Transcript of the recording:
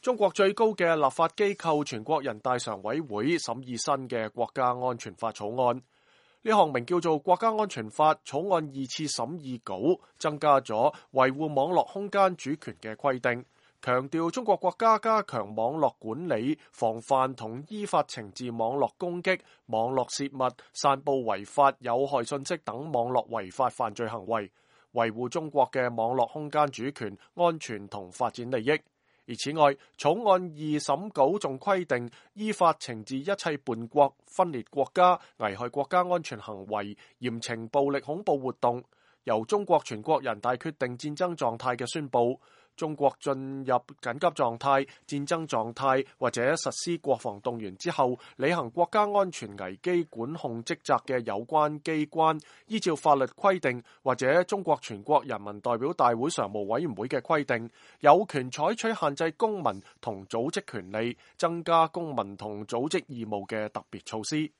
中國最高嘅立法機構全國人大常委會審議新嘅國家安全法草案。呢項名叫做《國家安全法》草案二次審議稿，增加咗維護網絡空間主權嘅規定，強調中國國家加強網絡管理、防範同依法懲治網絡攻擊、網絡洩密、散佈違法有害信息等網絡違法犯罪行為，維護中國嘅網絡空間主權、安全同發展利益。而此外，草案二審稿仲規定，依法懲治一切叛國、分裂國家、危害國家安全行為、嚴懲暴力恐怖活動。由中國全國人大決定戰爭狀態嘅宣佈，中國進入緊急狀態、戰爭狀態或者實施國防動員之後，履行國家安全危機管控職責嘅有關機關，依照法律規定或者中國全國人民代表大會常務委員會嘅規定，有權採取限制公民同組織權利、增加公民同組織義務嘅特別措施。